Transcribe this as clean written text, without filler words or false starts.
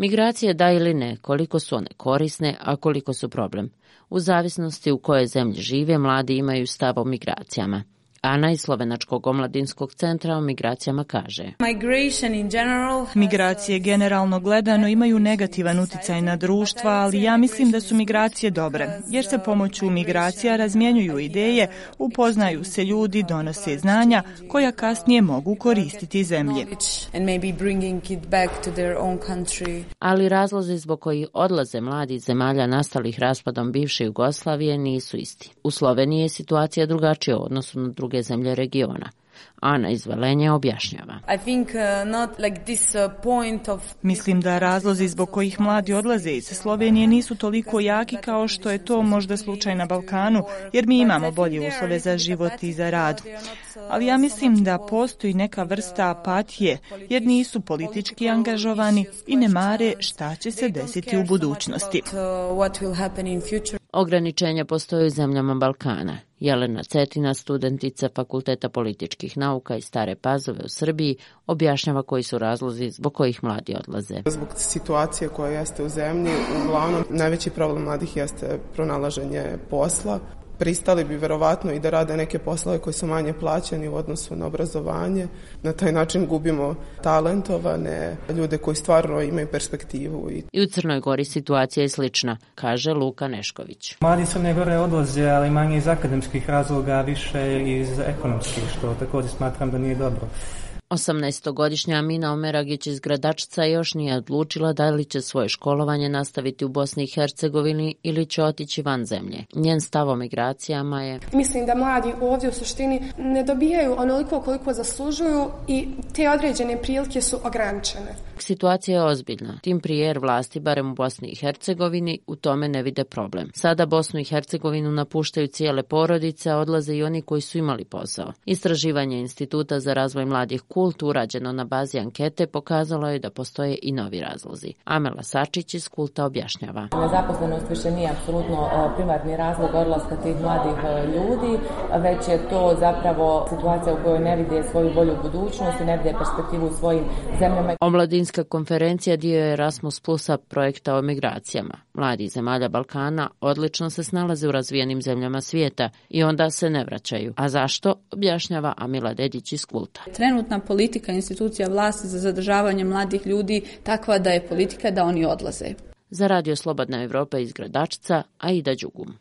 Migracije da ili ne, koliko su one korisne, a koliko su problem. U zavisnosti u kojoj zemlji žive, mladi imaju stav o migracijama. Ana iz Slovenačkog omladinskog centra o migracijama kaže: Migracije generalno gledano imaju negativan uticaj na društva, ali ja mislim da su migracije dobre, jer se pomoću migracija razmjenjuju ideje, upoznaju se ljudi, donose znanja koja kasnije mogu koristiti zemlji. Ali razlozi zbog kojih odlaze mladi iz zemalja nastalih raspadom bivše Jugoslavije nisu isti. U Sloveniji je situacija drugačija u odnosu na druge zemlje regiona. Ana iz Velenja objašnjava. Mislim da razlozi zbog kojih mladi odlaze iz Slovenije nisu toliko jaki kao što je to možda slučaj na Balkanu, jer mi imamo bolje uslove za život i za rad. Ali ja mislim da postoji neka vrsta apatije, jer nisu politički angažovani i ne mare šta će se desiti u budućnosti. Ograničenja postoje u zemljama Balkana. Jelena Cetina, studentica Fakulteta političkih nauka iz Stare Pazove u Srbiji, objašnjava koji su razlozi zbog kojih mladi odlaze. Zbog situacije koja jeste u zemlji, uglavnom najveći problem mladih jeste pronalaženje posla. Pristali bi verovatno i da rade neke poslove koji su manje plaćeni u odnosu na obrazovanje. Na taj način gubimo talentovane ljude koji stvarno imaju perspektivu. I u Crnoj Gori situacija je slična, kaže Luka Nešković. Mladi Crne Gore odlaze, ali manje iz akademskih razloga, više iz ekonomskih, što također smatram da nije dobro. 18-godišnja Amina Omeragić iz Gradačca još nije odlučila da li će svoje školovanje nastaviti u Bosni i Hercegovini ili će otići van zemlje. Njen stav o migracijama je: Mislim da mladi ovdje u suštini ne dobijaju onoliko koliko zaslužuju i te određene prilike su ograničene. Situacija je ozbiljna. Tim prije jer vlasti, barem u Bosni i Hercegovini, u tome ne vide problem. Sada Bosnu i Hercegovinu napuštaju cijele porodice, a odlaze i oni koji su imali posao. Istraživanje Instituta za razvoj mladih Kult, urađeno na bazi ankete, pokazalo je da postoje i novi razlozi. Amela Sačić iz Kulta objašnjava. Nezaposlenost više nije apsolutno primarni razlog odlaska tih mladih ljudi, već je to zapravo situacija u kojoj ne vide svoju bolju budućnost i ne vide perspektivu u svojim zemljama. Omladinska konferencija dio je Erasmus Plusa projekta o migracijama. Mladi iz zemalja Balkana odlično se snalaze u razvijenim zemljama svijeta i onda se ne vraćaju. A zašto? Objašnjava Amila Dedić iz Kulta. Trenutna politika institucija vlasti za zadržavanje mladih ljudi takva da je politika da oni odlaze. Za Radio Slobodna Evropa iz Gradačca, Aida Đugum.